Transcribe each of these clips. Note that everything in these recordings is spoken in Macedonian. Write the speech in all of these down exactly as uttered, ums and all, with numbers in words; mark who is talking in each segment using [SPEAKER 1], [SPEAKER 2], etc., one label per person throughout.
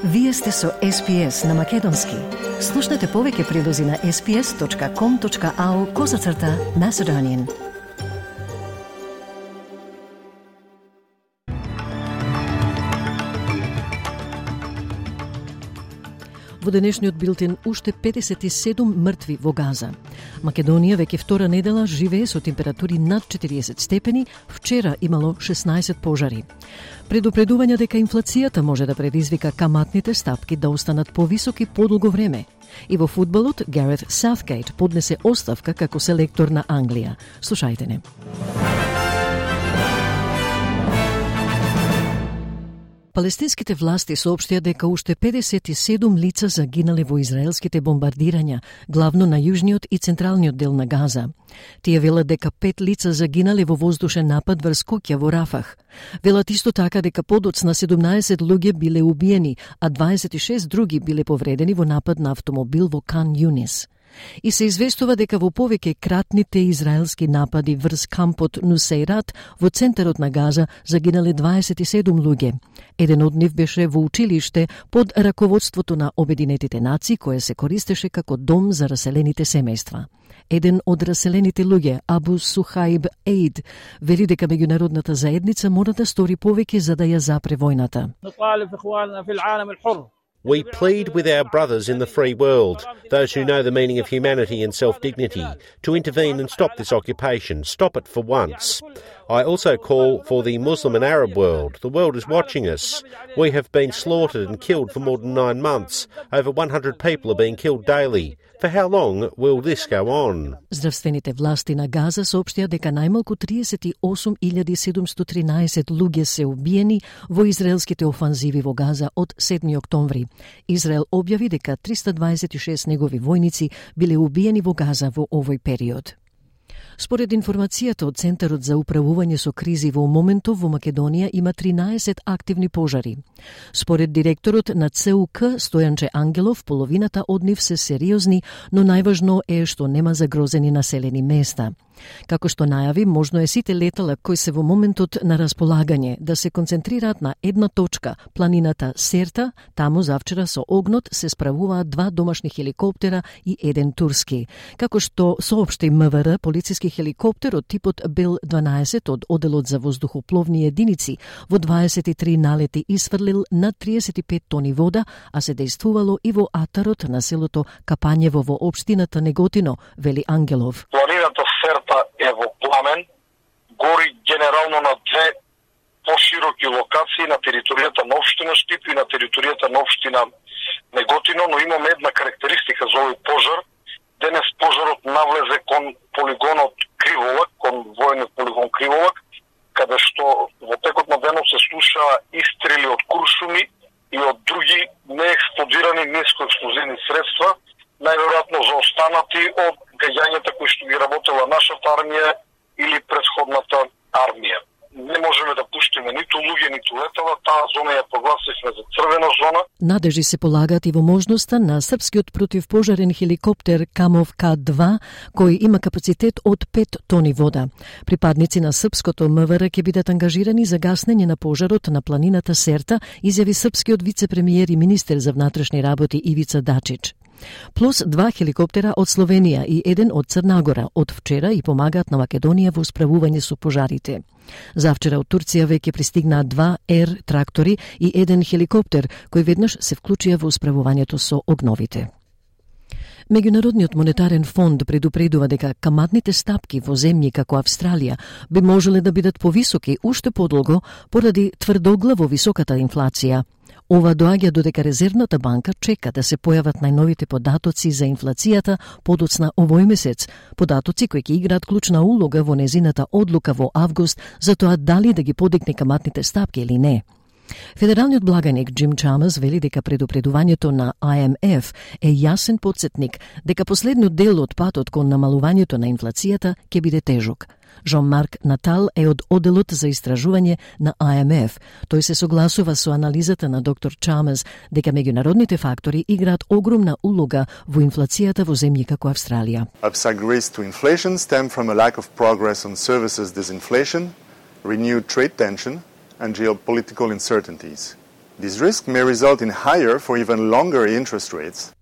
[SPEAKER 1] Вие сте со Ес Пи Ес на Македонски. Слушнете повеќе прилози на ес пи ес точка ком точка ау козацрта Macedonian. Во денешниот билтен уште педесет и седум мртви во Газа. Македонија веќе втора недела живее со температури над четириесет степени, вчера имало шеснаесет пожари. Предупредување дека инфлацијата може да предизвика каматните стапки да останат повисоки подолго време. И во фудбалот Гарет Саутгейт поднесе оставка како селектор на Англија. Слушајте не. Палестинските власти соопштија дека уште педесет и седум лица загинале во израелските бомбардирања, главно на јужниот и централниот дел на Газа. Тие велат дека пет лица загинале во воздушен напад врз куќа во Рафах. Велат исто така дека подоцна седумнаесет луѓе биле убиени, а дваесет и шест други биле повредени во напад на автомобил во Кан Јунис. И се известува дека во повеќе кратните израелски напади врз кампот Нусейрат во центарот на Газа загинале дваесет и седум луѓе. Еден од нив беше во училиште под раководството на Обединетите нации, кое се користеше како дом за раселените семејства. Еден од раселените луѓе, Абу Сухаиб Ейд, вели дека меѓународната заедница мора да стори повеќе за да ја запре војната.
[SPEAKER 2] We plead with our brothers in the free world, those who know the meaning of humanity and self-dignity, to intervene and stop this occupation, stop it for once. I also call for the Muslim and Arab world. The world is watching us. We have been slaughtered and killed for more than nine months. Over one hundred people are being killed daily. For how long will this go on?
[SPEAKER 1] Здравствените власти на Газа соопштија дека најмалку триесет и осум илјади седумстотини и тринаесет луѓе се убиени во израелските офанзиви во Газа од седми октомври. Израел објави дека триста дваесет и шест негови војници биле убиени во Газа во овој период. Според информацијата од Центарот за управување со кризи во моментов во Македонија има тринаесет активни пожари. Според директорот на Це У К Стојанче Ангелов, половината од нив се сериозни, но најважно е што нема загрозени населени места. Како што најави, можно е сите летала кои се во моментот на располагање да се концентрираат на една точка, планината Серта. Таму завчера со огнот се справуваат два домашни хеликоптера и еден турски. Како што соопшти М В Р, полициски хеликоптер од типот Бел дванаесет од Оделот за воздухопловни единици во дваесет и три налети исфрлил над триесет и пет тони вода, а се дејствувало и во атарот на селото Капањево во општината Неготино, вели Ангелов.
[SPEAKER 3] Планината Серта е во пламен, гори генерално на две пошироки локации на територијата на општина Штип и на територијата на општина Неготино, но имаме една карактеристика за овој пожар. Денес пожарот навлезе кон полигонот Криволак, кон војниот полигон Криволак, каде што во текот на денот се слушаа истрели од куршуми и од други неексплодирани нискоексплозивни средства, најверојатно заостанати од гаѓањата кои што ги работела нашата армија или претходната армија. Не можеме да пуштиме ниту луѓе, ниту летала, таа зона ја прогласивме за црвена зона.
[SPEAKER 1] Надежи се полагаат и во можноста на српскиот противпожарен хеликоптер Камов К два, кој има капацитет од пет тони вода. Припадници на српското М В Р ќе бидат ангажирани за гаснење на пожарот на планината Серта, изјави српскиот вице-премиер и министер за внатрешни работи Ивица Дачич. Плюс два хеликоптера од Словенија и еден од Црна Гора од вчера и помагаат на Македонија во справување со пожарите. Завчера од Турција веќе пристигнаа два ер трактори и еден хеликоптер кои веднаш се вклучија во справувањето со огновите. Меѓународниот монетарен фонд предупредува дека каматните стапки во земји како Австралија би можеле да бидат повисоки уште подолго поради тврдоглаво високата инфлација. Ова доаѓа додека Резервната банка чека да се појават најновите податоци за инфлацијата подоцна овој месец, податоци кои ќе играат клучна улога во незината одлука во август за тоа дали да ги подигне каматните стапки или не. Федералниот благаник Джим Чамерс вели дека предупредувањето на I M F е јасен потсетник дека последниот дел од патот кон намалувањето на инфлацијата ќе биде тежок. Жон-Марк Натал е од Оделот за истражување на I M F. Тој се согласува со анализата на доктор Чамерс дека меѓународните фактори играат огромна улога во инфлацијата во земји како Австралија.
[SPEAKER 4] Upside risks to inflation stem from a lack of progress on services disinflation, renewed trade tension and geopolitical uncertainties. This risk may result in higher for even longer interest rates.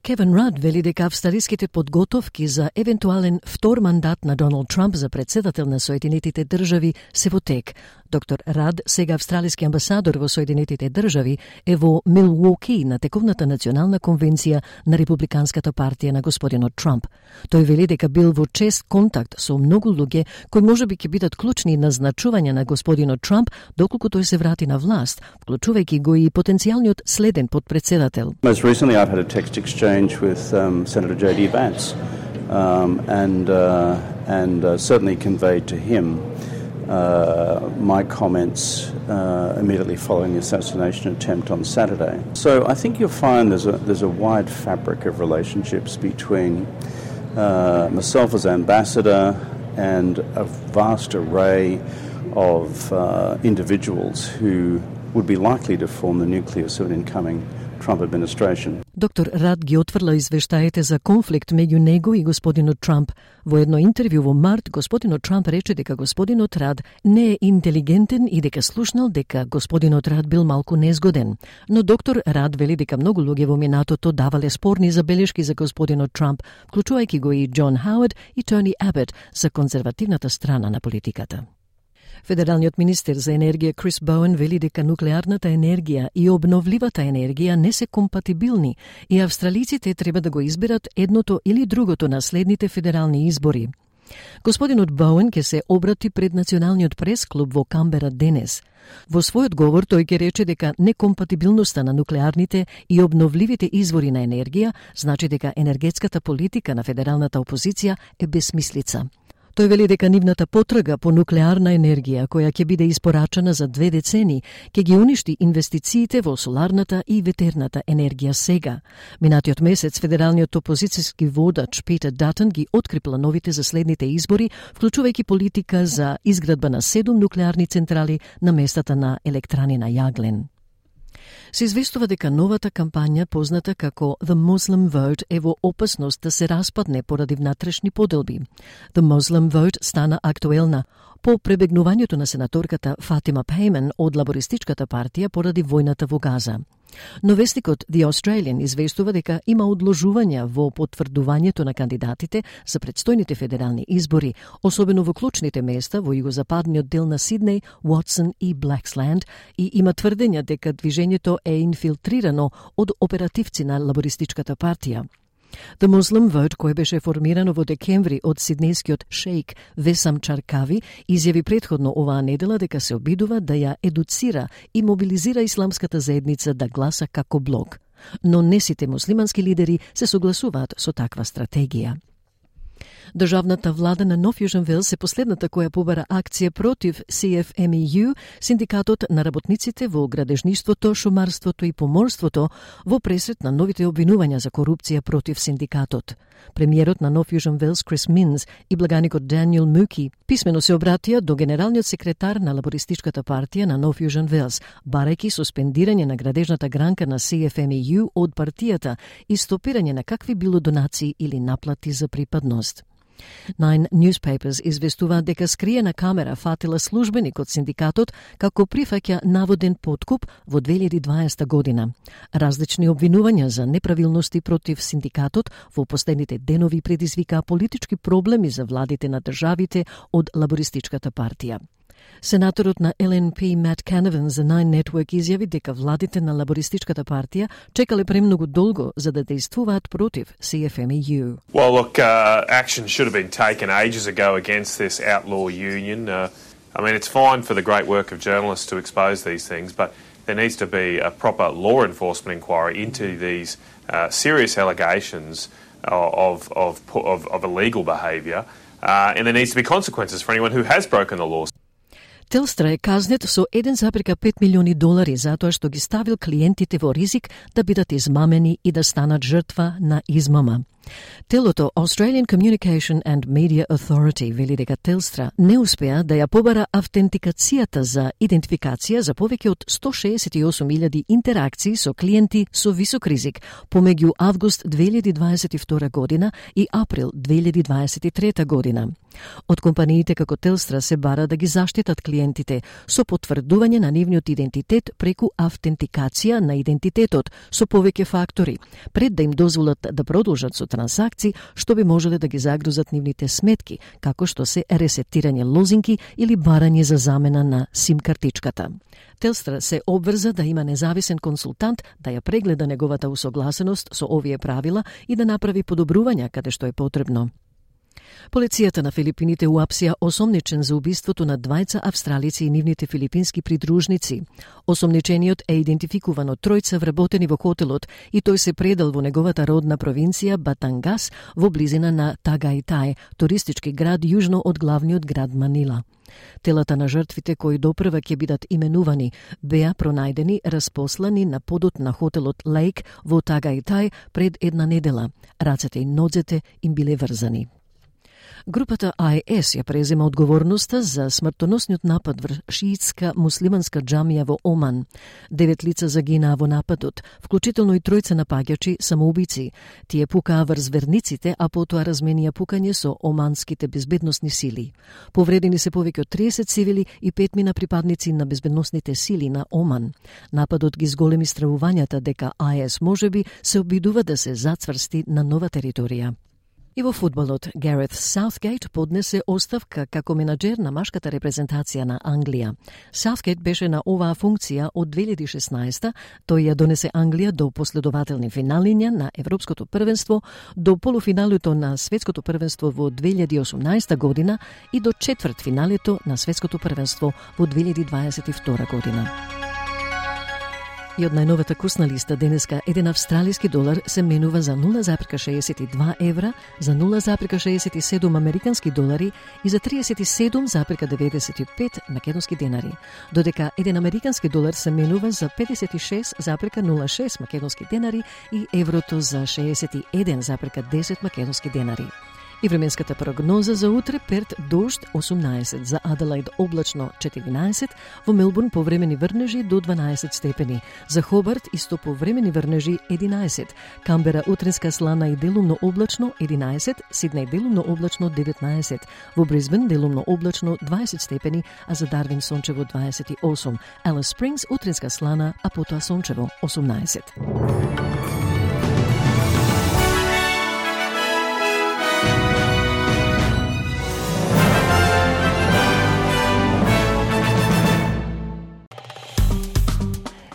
[SPEAKER 1] Кевин Рад вели дека австралиските подготовки за евентуален втор мандат на Доналд Трамп за председател на Соединетите држави се во тек. Доктор Рад, сега австралиски амбасадор во Соединетите држави, е во Милуоки на тековната национална конвенција на Републиканската партија на господинот Трамп. Тој вели дека бил во чест контакт со многу луѓе кои можеби ќе бидат клучни назначувања на господинот Трамп доколку тој се врати на власт, вклучувајќи го и потенцијалниот следен подпредседател.
[SPEAKER 5] Most recently I've had a text exchange with um, Senator J D Vance um, and uh, and uh, certainly conveyed to him uh, my comments uh, immediately following the assassination attempt on Saturday. So I think you'll find there's a there's a wide fabric of relationships between uh, myself as ambassador and a vast array of uh, individuals who would be likely to form the nucleus of an incoming Trump administration.
[SPEAKER 1] Доктор Рад ги отврла извештаите за конфликт меѓу него и господинот Трамп. Во едно интервју во март, господинот Трамп рече дека господинот Рад не е интелигентен и дека слушнал дека господинот Рад бил малку незгоден. Но доктор Рад вели дека многу луѓе во минатото давале спорни забелешки за господинот Трамп, вклучувајќи го и Џон Хауард и Тони Абет за конзервативната страна на политиката. Федералниот министер за енергија Крис Боуен вели дека нуклеарната енергија и обновливата енергија не се компатибилни и австралиците треба да го изберат едното или другото на следните федерални избори. Господинот Боуен ќе се обрати пред Националниот прес-клуб во Камбера денес. Во својот говор тој ќе рече дека некомпатибилноста на нуклеарните и обновливите извори на енергија значи дека енергетската политика на федералната опозиција е бесмислица. Тој вели дека нивната потрага по нуклеарна енергија, која ќе биде испорачана за две децени, ќе ги уништи инвестициите во соларната и ветерната енергија сега. Минатиот месец федералниот опозицијски водач Питер Датон ги откри плановите за следните избори, вклучувајќи политика за изградба на седум нуклеарни централи на местата на електрани на јаглен. Се известува дека новата кампања, позната како The Muslim Vote, е во опасност да се распадне поради внатрешни поделби. The Muslim Vote стана актуелна по пребегнувањето на сенаторката Фатима Пейман од лабористичката партија поради војната во Газа. Но вестникот The Australian известува дека има одложувања во потврдувањето на кандидатите за предстојните федерални избори, особено во клучните места во југозападниот дел на Сиднеј, Уотсон и Блаксленд, и има тврдења дека движењето е инфилтрирано од оперативци на лабористичката партија. The Muslim Vote, кој беше формирано во декември од сиднејскиот шејк Весам Чаркави, изјави претходно оваа недела дека се обидува да ја едуцира и мобилизира исламската заедница да гласа како блок. Но не сите муслимански лидери се согласуваат со таква стратегија. Државната влада на Нов Јужен Велс е последната која побара акција против Си Еф Ем И Ју, синдикатот на работниците во градежништвото, шумарството и поморството, во пресрет на новите обвинувања за корупција против синдикатот. Премиерот на Нов Јужен Велс Крис Минс и благаникот Даниел Муки писмено се обратија до генералниот секретар на лабористичката партија на Нов Јужен Велс, барајќи суспендирање на градежната гранка на Си Еф Ем И Ју од партијата и стопирање на какви било донации или наплати за припадност. Nine Newspapers известува дека скриена камера фатила службеник од синдикатот како прифаќа наводен подкуп во две илјади и дваесета година. Различни обвинувања за неправилности против синдикатот во последните денови предизвикаа политички проблеми за владите на државите од лабористичката партија. Сенаторот на Ел Ен Пи Мат Канаван за Nine Network изјави дека владите на лабористичката партија чекале премногу долго за да действуваат против Си Еф Ем И Ју.
[SPEAKER 6] Well, look, uh, action should have been taken ages ago against this outlaw union. Uh, I mean, it's fine for the great work of journalists to expose these things, but there needs to be a proper law enforcement inquiry into these uh, serious allegations of, of, of, of illegal behaviour, uh, and there needs to be consequences for anyone who has broken the law.
[SPEAKER 1] Телстра е казнет со еден запирка пет милиони долари затоа што ги ставил клиентите во ризик да бидат измамени и да станат жртва на измама. Телото Australian Communication and Media Authority вели дека Телстра не успеа да ја побара автентикацијата за идентификација за повеќе од сто шеесет и осум илјади интеракции со клиенти со висок ризик помеѓу август две илјади дваесет и втора година и април две илјади дваесет и трета година. Од компаниите како Телстра се бара да ги заштитат клиентите со потврдување на нивниот идентитет преку автентикација на идентитетот со повеќе фактори, пред да им дозволат да продолжат со трансакции што би можеле да ги загрузат нивните сметки, како што се ресетирање лозинки или барање за замена на сим картичката. Телстра се обврза да има независен консултант да ја прегледа неговата усогласеност со овие правила и да направи подобрувања каде што е потребно. Полицијата на Филипините уапсија осомничен за убиството на двајца австралици и нивните филипински придружници. Осомничениот е идентификуван од тројца вработени во хотелот и тој се предал во неговата родна провинција Батангас во близина на Тагајтај, туристички град јужно од главниот град Манила. Телата на жртвите кои допрва ќе бидат именувани беа пронајдени распослани на подот на хотелот Лейк во Тагајтај пред една недела. Рацете и нозете им биле врзани. Групата Ай Ес ја презема одговорноста за смртоносниот напад врз шиитска муслиманска џамија во Оман. Девет лица загинаа во нападот, вклучително и тројца напаѓачи самоубици. Тие пукаа врз верниците, а потоа разменија пукање со оманските безбедносни сили. Повредени се повеќе од триесет цивили и петмина припадници на безбедносните сили на Оман. Нападот ги зголеми стравувањата дека Ай Ес можеби се обидува да се зацврсти на нова територија. И во фудбалот, Гарет Саутгейт поднесе оставка како менаџер на машката репрезентација на Англија. Саутгейт беше на оваа функција од две илјади и шеснаесета, тој ја донесе Англија до последователни финалиња на Европското првенство, до полуфиналето на Светското првенство во две илјади и осумнаесета година и до четвртфиналето на Светското првенство во две илјади дваесет и втора година. И од најновата курсна листа денеска еден австралиски долар се менува за нула запирка шеесет и два евра, за нула запирка шеесет и седум американски долари и за триесет и седум запирка деветдесет и пет македонски денари, додека еден американски долар се менува за педесет и шест запирка нула шест македонски денари и еврото за шеесет и еден запирка десет македонски денари. И временската прогноза за утре: Перт дожд осумнаесет, за Аделаид облачно четиринаесет, во Мелбурн повремени врнежи до дванаесет степени, за Хобарт исто повремени врнежи единаесет, Камбера утринска слана и делумно облачно единаесет, Сиднеј делумно облачно деветнаесет, во Брисбен делумно облачно дваесет степени, а за Дарвин сончево дваесет и осум, Алис Спрингс утринска слана, а потоа сончево осумнаесет.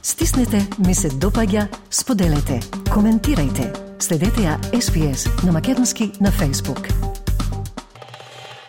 [SPEAKER 1] Стиснете, ми се допаѓа, споделете, коментирајте. Следете ја Ес Би Ес на македонски на Facebook.